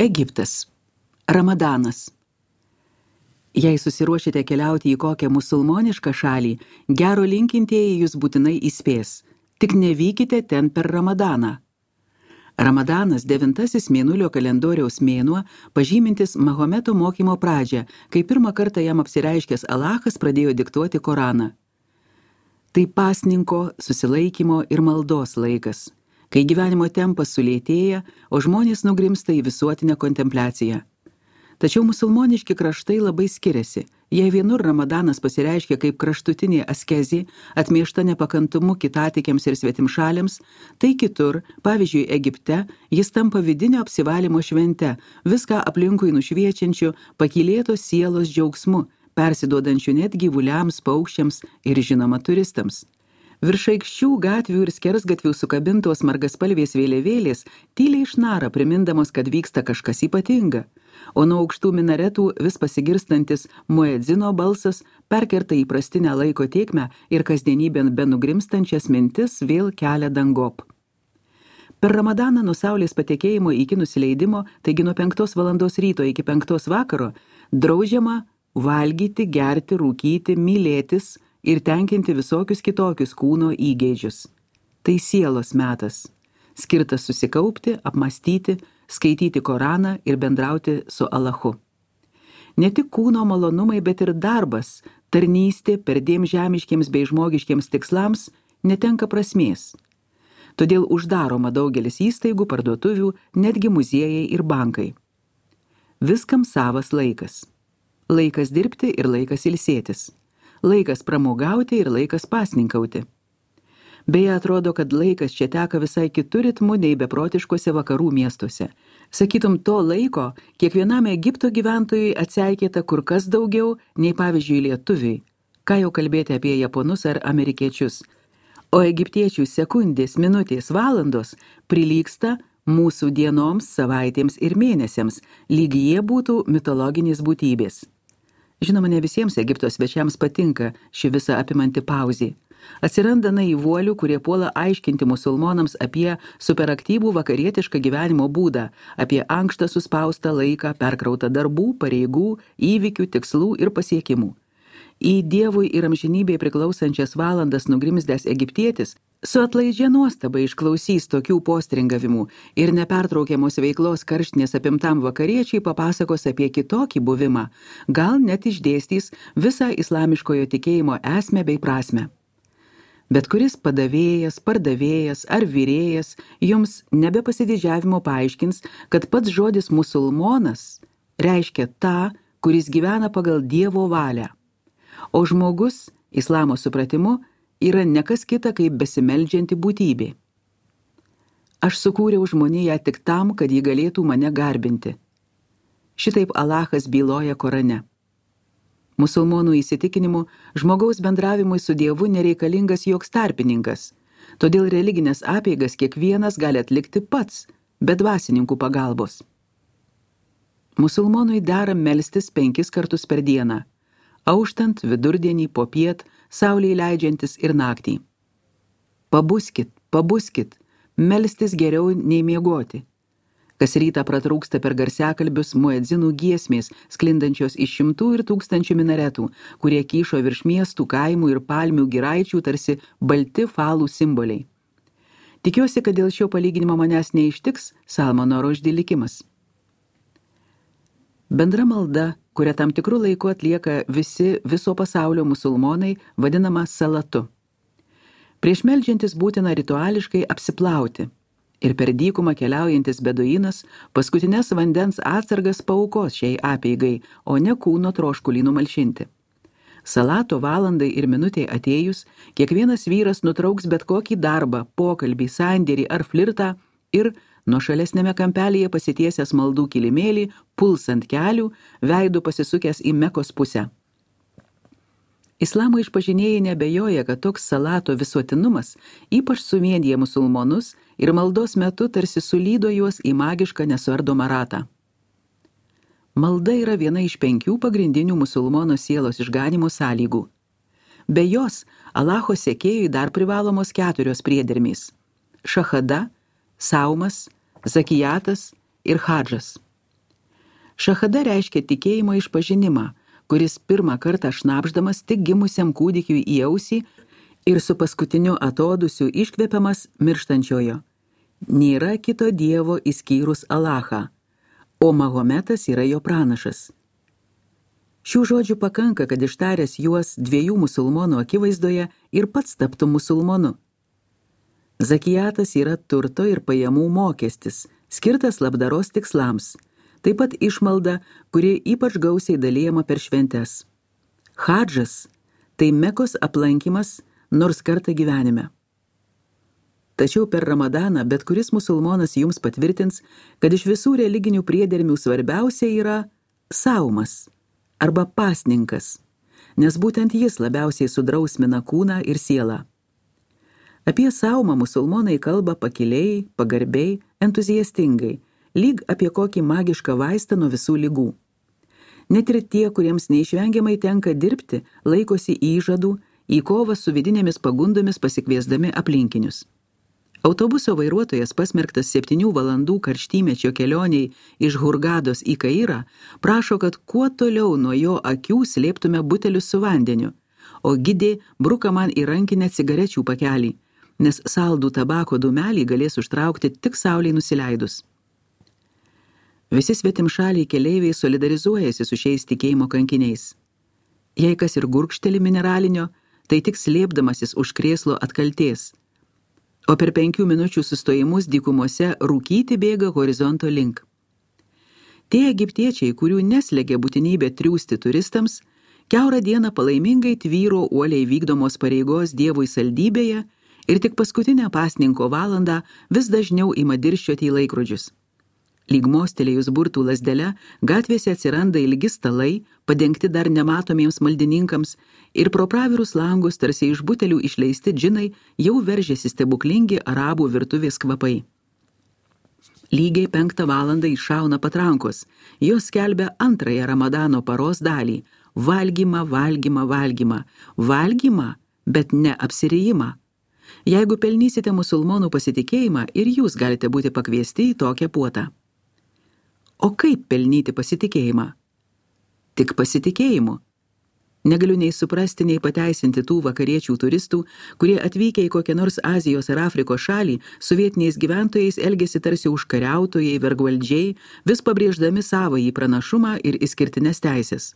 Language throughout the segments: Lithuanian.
Egiptas. Ramadanas. Jei susiruošite keliauti į kokią musulmonišką šalį, gero linkintieji jūs būtinai įspės. Tik nevykite ten per Ramadaną. Ramadanas 9 mėnulio kalendoriaus mėnuo, pažymintis Mahometo mokymo pradžią, kai pirmą kartą jam apsireiškęs Alachas pradėjo diktuoti Koraną. Tai pasninko, susilaikymo ir maldos laikas, kai gyvenimo tempas sulėtėja, o žmonės nugrimsta į visuotinę kontempliaciją. Tačiau musulmoniški kraštai labai skiriasi. Jei vienur Ramadanas pasireiškia kaip kraštutinė askezė, atmiešta nepakantumu kitatikiams ir svetimšaliams, tai kitur, pavyzdžiui Egipte, jis tampa vidinio apsivalymo švente, viską aplinkui nušviečiančiu, pakylėtos sielos džiaugsmu, persiduodančiu net gyvuliams, paukščiams ir žinoma turistams. Virš aikščių, gatvių ir skersgatvių sukabintos margaspalvės vėliavėlės tyliai išnara, primindamos, kad vyksta kažkas ypatinga, o nuo aukštų minaretų vis pasigirstantis muedzino balsas perkerta įprastinę laiko tėkmę ir kasdienybėn benugrimstančias mintis vėl kelia dangop. Per Ramadaną nuo saulės patekėjimo iki nusileidimo, taigi nuo 5 valandos ryto iki 5 vakaro, draudžiama valgyti, gerti, rūkyti, mylėtis ir tenkinti visokius kitokius kūno įgeidžius. Tai sielos metas, skirtas susikaupti, apmąstyti, skaityti Koraną ir bendrauti su Alachu. Ne tik kūno malonumai, bet ir darbas, tarnystė perdėm žemiškiems bei žmogiškiems tikslams netenka prasmės. Todėl uždaroma daugelis įstaigų, parduotuvių, netgi muziejai ir bankai. Viskam savas laikas. Laikas dirbti ir laikas ilsėtis. Laikas pramogauti ir laikas pasninkauti. Beje, atrodo, kad laikas čia teka visai kitų ritmų nei beprotiškose vakarų miestuose. Sakytum, to laiko kiekvienam Egipto gyventojui atseikėta kur kas daugiau nei pavyzdžiui lietuviai. Ką jau kalbėti apie japonus ar amerikiečius. O egiptiečių sekundės, minutės, valandos prilygsta mūsų dienoms, savaitėms ir mėnesiams, lyg jie būtų mitologinės būtybės. Žinoma, ne visiems Egipto svečiams patinka ši visa apimanti pauzė. Atsiranda naivuolių, kurie puola aiškinti musulmonams apie superaktyvų vakarietišką gyvenimo būdą, apie ankštą suspaustą laiką, perkrautą darbų, pareigų, įvykių, tikslų ir pasiekimų. Į Dievui ir amžinybei priklausančias valandas nugrimzdęs egiptietis su atlaidžia nuostaba išklausys tokių postringavimų ir nepertraukiamos veiklos karštinės apimtam vakariečiai papasakos apie kitokį buvimą, gal net išdėstys visą islamiškojo tikėjimo esmę bei prasmę. Bet kuris padavėjas, pardavėjas ar vyrėjas jums nebe pasididžiavimo paaiškins, kad pats žodis musulmonas reiškia tą, kuris gyvena pagal Dievo valią. O žmogus, islamo supratimu, yra nekas kita kaip besimeldžianti būtybė. Aš sukūriau žmoniją tik tam, kad ji galėtų mane garbinti. Šitaip Alachas byloja Korane. Musulmonų įsitikinimu, žmogaus bendravimui su Dievu nereikalingas joks tarpininkas, todėl religinės apeigas kiekvienas gali atlikti pats, be dvasininkų pagalbos. Musulmonui dera melstis 5 kartus per dieną, auštant, vidurdienį, popiet, saulei leidžiantis ir naktį. Pabuskit, melstis geriau nei miegoti. Kas rytą pratrūksta per garsiakalbius muedzinų giesmės, sklindančios iš 100 ir 1000 minaretų, kurie kyšo virš miestų, kaimų ir palmių giraičių tarsi balti falų simboliai. Tikiuosi, kad dėl šio palyginimo manęs neištiks Salmano Rušdi likimas. Bendra malda, kurią tam tikrų laiku atlieka visi viso pasaulio musulmonai, vadinama salatu. Prieš meldžiantis būtina rituališkai apsiplauti ir per dykumą keliaujantis beduinas paskutinės vandens atsargas paaukos šiai apeigai, o ne kūno troškulį numalšinti. Salato valandai ir minutei atėjus, kiekvienas vyras nutrauks bet kokį darbą, pokalbį, sandėrį ar flirtą ir nuošalesnėme kampelyje pasitiesęs maldų kilimėlį, puls ant kelių, veidu pasisukęs į Mekos pusę. Islamo išpažinėjai nebejoja, kad toks salato visuotinumas ypač suvienija musulmonus ir maldos metu tarsi sulydo juos į magišką nesuardomą ratą. Malda yra viena iš 5 pagrindinių musulmono sielos išganimo sąlygų. Be jos, Alacho sekėjui dar privalomos 4 priedermės – šahada, saumas, zakijatas ir hadžas. Šachada reiškia tikėjimo išpažinimą, kuris pirmą kartą šnabždamas tik gimusiam kūdikiui į ausį ir su paskutiniu atodusiu iškvepiamas mirštančiojo. Nėra kito dievo išskyrus Alachą, o Mahometas yra jo pranašas. Šių žodžių pakanka, kad ištaręs juos dviejų musulmonų akivaizdoje ir pats taptų musulmonu. Zakijatas yra turto ir pajamų mokestis, skirtas labdaros tikslams, taip pat išmalda, kuri ypač gausiai dalijama per šventes. Hadžas – tai Mekos aplankymas nors kartą gyvenime. Tačiau per Ramadaną bet kuris musulmonas jums patvirtins, kad iš visų religinių priedermių svarbiausia yra saumas arba pasninkas, nes būtent jis labiausiai sudrausmina kūną ir sielą. Apie saumą musulmonai kalba pakiliai, pagarbiai, entuziastingai, lyg apie kokį magišką vaistą nuo visų ligų. Net ir tie, kuriems neišvengiamai tenka dirbti, laikosi įžadų, į kovą su vidinėmis pagundomis pasikviesdami aplinkinius. Autobuso vairuotojas pasmerktas 7 valandų karštymečio kelioniai iš Hurgados į Kairą prašo, kad kuo toliau nuo jo akių slėptume butelius su vandeniu, o gidė bruka man į rankinę cigarečių pakelį, nes saldų tabako dūmelį galės užtraukti tik saulei nusileidus. Visi svetimšaliai keleiviai solidarizuojasi su šiais tikėjimo kankiniais. Jei kas ir gurkšteli mineralinio, tai tik slėpdamasis už krėslo atkaltės, o per 5 minučių sustojimus dykumose rūkyti bėga horizonto link. Tie egiptiečiai, kurių neslegia būtinybė triūsti turistams, kiaurą dieną palaimingai tvyro uoliai vykdomos pareigos Dievui saldybėje ir tik paskutinę pasninko valandą vis dažniau ima dirsčioti į laikrodžius. Lyg mostelėjus burtų lazdele, gatvėse atsiranda ilgi stalai, padengti dar nematomiems maldininkams, ir pro pravirus langus tarsi iš butelių išleisti džinai jau veržėsi stebuklingi arabų virtuvės kvapai. Lygiai 5 valandą iššauna patrankos, jos skelbia antrąją Ramadano paros dalį – valgymą, valgymą, valgymą, valgymą, bet ne apsirijimą. Jeigu pelnysite musulmonų pasitikėjimą, ir jūs galite būti pakviesti į tokią puotą. O kaip pelnyti pasitikėjimą? Tik pasitikėjimu. Negaliu nei suprasti, nei pateisinti tų vakariečių turistų, kurie atvykę į kokią nors Azijos ar Afrikos šalį su vietiniais gyventojais elgėsi tarsi užkariautojai, vergvaldžiai, vis pabrėždami savąjį pranašumą ir išskirtines teisės.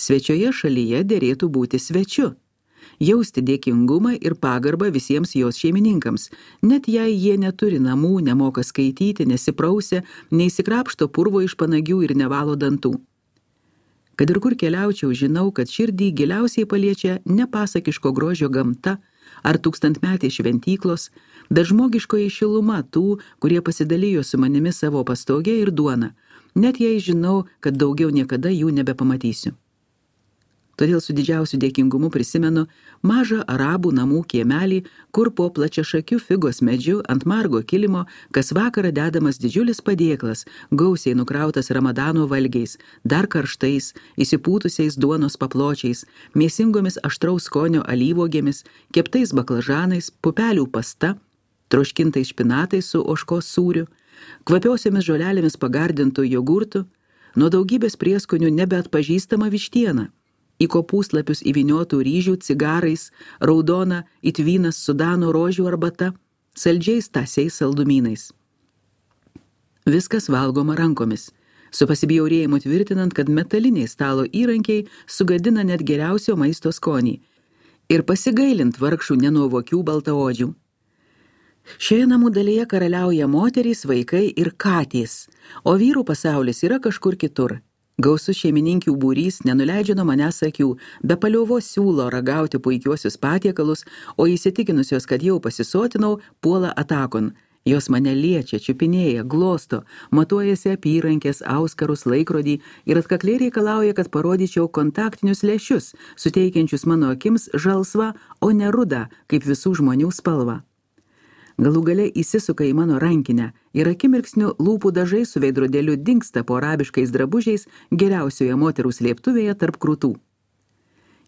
Svečioje šalyje derėtų būti svečiu, jausti dėkingumą ir pagarbą visiems jos šeimininkams, net jei jie neturi namų, nemoka skaityti, nesiprausia, neįsikrapšto purvo iš panagių ir nevalo dantų. Kad ir kur keliaučiau, žinau, kad širdį giliausiai paliečia nepasakiško grožio gamta ar tūkstantmetės šventyklos, bet žmogiškoji šiluma tų, kurie pasidalijo su manimi savo pastogę ir duoną, net jei žinau, kad daugiau niekada jų nebepamatysiu. Todėl su didžiausiu dėkingumu prisimenu mažą arabų namų kiemelį, kur po plačiašakiu figos medžiu ant margo kilimo kas vakarą dedamas didžiulis padėklas, gausiai nukrautas Ramadano valgiais, dar karštais, įsipūtusiais duonos papločiais, mėsingomis aštraus skonio alyvuogėmis, keptais baklažanais, pupelių pasta, troškintais špinatais su ožkos sūriu, kvapiosiomis žolelėmis pagardintų jogurtų, nuo daugybės prieskonių nebeatpažįstama vištiena, į kopūslapius įvyniotų ryžių cigarais, raudona it vynas Sudano rožių arbata, saldžiais tąsiais saldumynais. Viskas valgoma rankomis, su pasibjaurėjimu tvirtinant, kad metaliniai stalo įrankiai sugadina net geriausio maisto skonį ir pasigailint vargšų nenuovokių baltaodžių. Šioje namų dalyje karaliauja moterys, vaikai ir katės, o vyrų pasaulis yra kažkur kitur. Gausus šeimininkių būrys nenuleidžia nuo manęs akių, be paliovos siūlo ragauti puikiuosius patiekalus, o įsitikinusios, kad jau pasisotinau, puola atakon. Jos mane liečia, čiupinėja, glosto, matuojasi apyrankės, auskarus, laikrodį ir atkakliai reikalauja, kad parodyčiau kontaktinius lęšius, suteikiančius mano akims žalsvą, o ne rudą, kaip visų žmonių spalvą. Galų gale įsisuka į mano rankinę ir akimirksniu lūpų dažai su veidrodėliu dingsta po arabiškais drabužiais geriausioje moterų slėptuvėje tarp krūtų.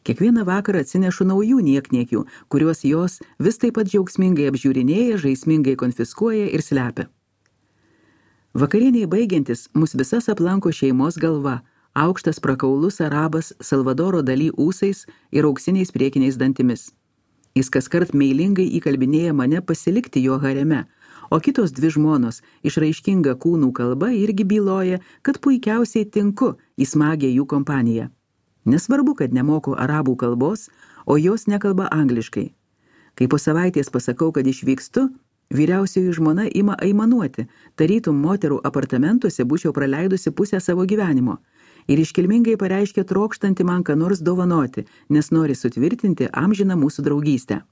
Kiekvieną vakarą atsinešu naujų niekniekių, kuriuos jos vis taip pat džiaugsmingai apžiūrinėja, žaismingai konfiskuoja ir slepia. Vakarieniai baigiantis, mus visas aplanko šeimos galva, aukštas prakaulus arabas Salvadoro Dalį ūsais ir auksiniais priekiniais dantimis. Jis kaskart meilingai įkalbinėja mane pasilikti jo hareme, o kitos dvi žmonos, išraiškinga kūnų kalba, irgi byloja, kad puikiausiai tinku į smagią jų kompaniją. Nesvarbu, kad nemoku arabų kalbos, o jos nekalba angliškai. Kai po savaitės pasakau, kad išvykstu, vyriausioji žmona ima aimanuoti, tarytum moterų apartamentuose būčiau praleidusi pusę savo gyvenimo, ir iškilmingai pareiškia trokštanti man ką nors dovanoti, nes nori sutvirtinti amžiną mūsų draugystę.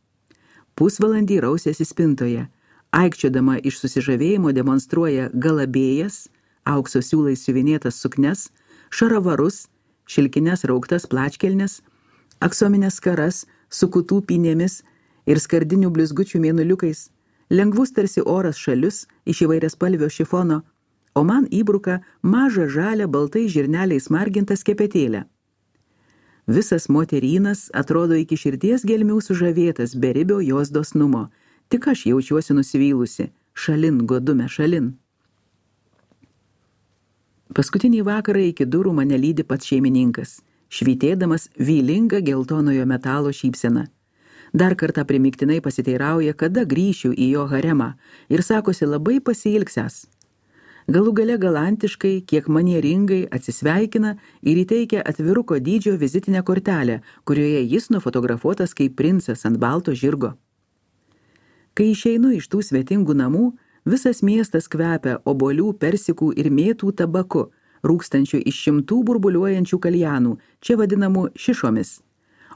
Pusvalandį rausėsi spintoje, aikčiodama iš susižavėjimo demonstruoja galabėjas, aukso siūlais siuvinėtas suknes, šaravarus, šilkines rauktas plačkelnes, aksominės skaras su kutų pynėmis ir skardinių blizgučių mėnuliukais, lengvus tarsi oras šalius iš įvairiaspalvio šifono, o man įbruka mažą žalią baltai žirneliais margintą skepetėlę. Visas moterynas atrodo iki širdies gelmių sužavėtas beribio jos dosnumo, tik aš jaučiuosi nusivylusi, šalin, godume, šalin. Paskutinį vakarą iki durų mane lydi pats šeimininkas, švytėdamas vylingą geltonojo metalo šypseną. Dar kartą primiktinai pasiteirauja, kada grįšiu į jo haremą ir sakosi labai pasiilgsęs. Galų gale galantiškai, kiek manieringai atsisveikina ir įteikia atviruko dydžio vizitinę kortelę, kurioje jis nufotografuotas kaip princas ant balto žirgo. Kai išeinu iš tų svetingų namų, visas miestas kvepia obuolių, persikų ir mėtų tabaku, rūkstančių iš šimtų burbuliuojančių kaljanų, čia vadinamų šišomis.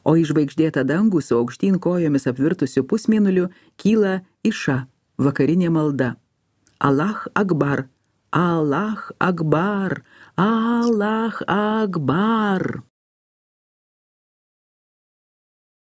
O į žvaigždėtą dangų su aukštyn kojomis apvirtusiu pusmėnuliu kyla iša, vakarinė malda. Allah Akbar, Allah Akbar, Allah Akbar.